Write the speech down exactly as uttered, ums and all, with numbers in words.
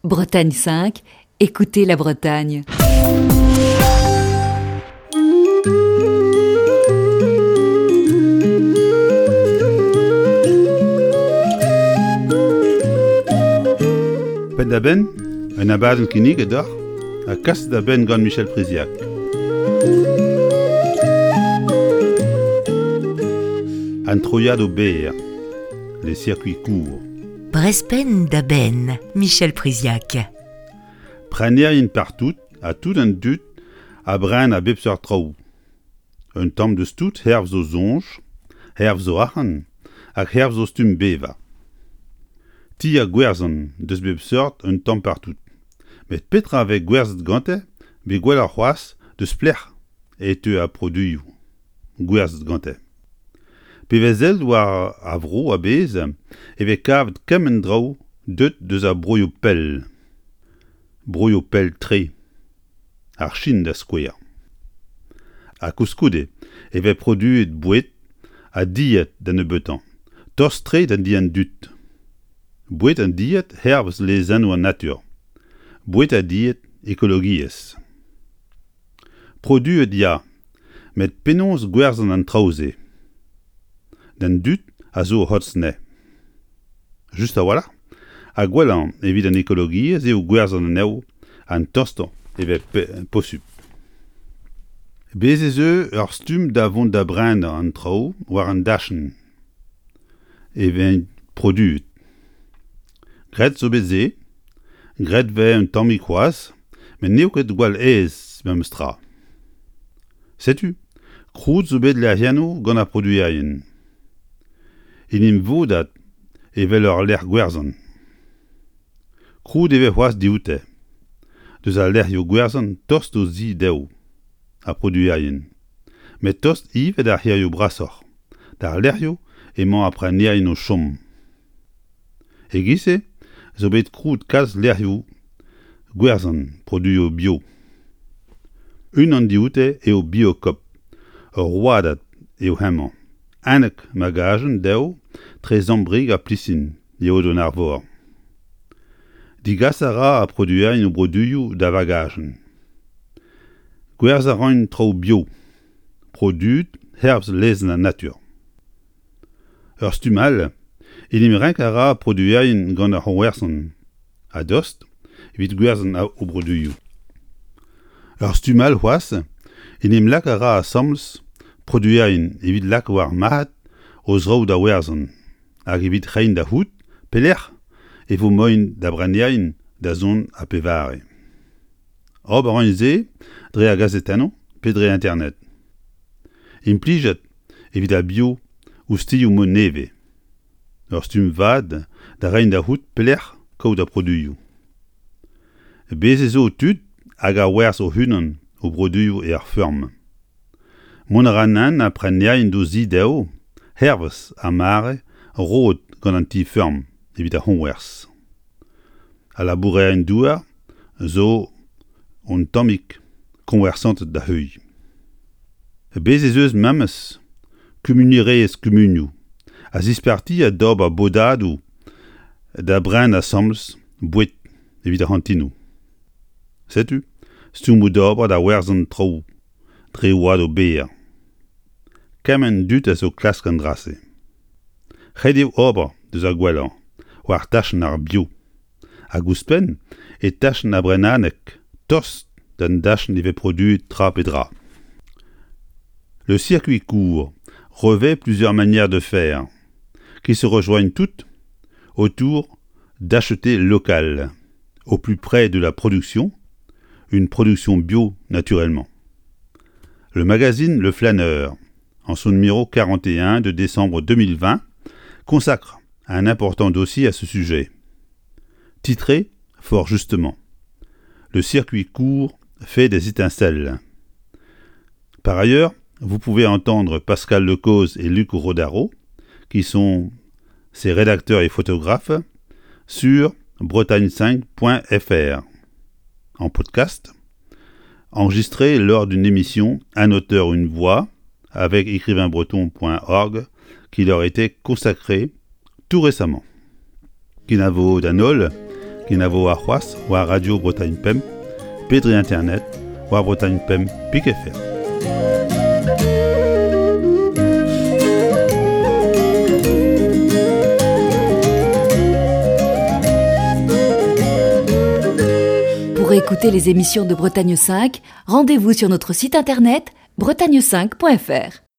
Bretagne cinq, écoutez la Bretagne. Penn-da-benn, un abadenn kinniget deoc'h ha kaset da benn gant Michel Priziac. An troiadoù berr, les circuits courts. Brezh penn da benn, Michel Priziac. Prenerien partout ha tout an dud a bren a bep seurt traoù. Un tamm deus tout hervez o soñj, hervez o arc'hant hag hervez o stumm bevañ. Ti ha gwerzhan deus bep seurt un tamm partout. Met petra a vez gwerzhet gante, pe gwelloc'h c'hoazh deus pelec'h e teu ar produioù gwerzhet gante. Pe vez sellet war ar vro a-bezh e vez kavet kement draoù deuet deus ar broioù pell. Broioù pell-tre. Ar Chin da skouer. Ha koulskoude e vez produet boued ha dilhad da nebeutañ, tost-tre d'an di an dud. Boued ha dilhad hervez lezennoù an natur. Boued ha dilhad ekologiezh. Produet ya, met penaos gwerzhañ an traoù-se? D'an dud a zo o c'hortoz anezhe. Just a-walc'h, ha gwellañ evit an ekologiezh eo gwerzhañ anezho an tostañ e vez posupl. Bez' ez eus ur stumm da vont da brenañ an traoù war an dachenn e vez produet. Graet zo bet se, graet 'vez un tammig c'hoazh, met n'eo ket gwall aes memes tra. Setu, krouet zo bet lec'hiennoù gant ar produerien. En em vodat evel ul lec'h gwerzhañ. Krouet e vez c'hoazh dioute, deus al lec'hioù gwerzhañ tost d'o zi dezho, ar produerien. Met tost ivez d'ar c'hêrioù brasoc'h, d'ar lec'hioù emañ ar prenerien o chom. E-giz-se zo bet krouet kalz lec'hioù gwerzhañ produioù bio. Unan dioute eo Biocoop, ur rouedad eo hemañ. Unnek magazenn dezho tre Sant-Brieg ha Plistin, e Aodoù-an-Arvor. Degas a ra ar produerien o broduioù da vagazenn. Gwerzhañ a raint traoù bio, produet hervez lezenn an natur. Ur stumm all, en em renk a ra produerien gant ar c'hoñwersan a-dost evit gwerzhañ o broduioù. Ur stumm all c'hoazh, en em lak a ra asambles produerien evit lak war marc'had o zraoù da werzhañ hag evit reiñ da c'hoût pelec'h e vo moaien da brenerien da zont ha pevare. Ober a raint se dre ar gazetennoù pe dre internet. Implijet evit ar bio oustilhoù mod nevez. Ur stumm vat da reiñ da c'hoût pelec'h kaout ar produioù. Bez' ez zo tud hag a werzh o-unan o broduioù er feurm. Mont a ra nann ar prenerien d'o zi dezho, hervez ar mare roet gant an ti-feurm evit ar c'hoñwerzh. Al labourerien-douar zo un tammig koñwersanted da heuilh. Bez' ez eus memes kumunierezh kumunioù a zispartiañ d'ober bodadoù da brenañ asambles boued evit ar c'hantinoù. Setu stummoù d'ober da werzhañ traoù dre rouedadoù berr. Kement dud a zo klask an dra-se. Ret eo ober deus ar gwellañ war tachenn ar bio. Hag ouzhpenn e tachenn ar brenadeg tost d'an dachenn e vez produet tra pe dra. Le circuit court revêt plusieurs manières de faire qui se rejoignent toutes autour d'acheter local, au plus près de la production, une production bio naturellement. Le magazine Le Flâneur, en son numéro quarante et un de décembre deux mille vingt, consacre un important dossier à ce sujet. Titré, fort justement, Le circuit court fait des étincelles. Par ailleurs, vous pouvez entendre Pascal Lecoz et Luc Rodaro, qui sont ses rédacteurs et photographes, sur bretagne cinq point F R, en podcast, enregistré lors d'une émission Un auteur, une voix, avec écrivain breton point org, qui leur était consacrée tout récemment. Kenavo d'an holl, Kenavo warc'hoazh war Radio Bretagne Pemp, pe dre internet war Bretagne Pemp pik F R. Pour écouter les émissions de Bretagne cinq, rendez-vous sur notre site internet bretagne cinq point F R.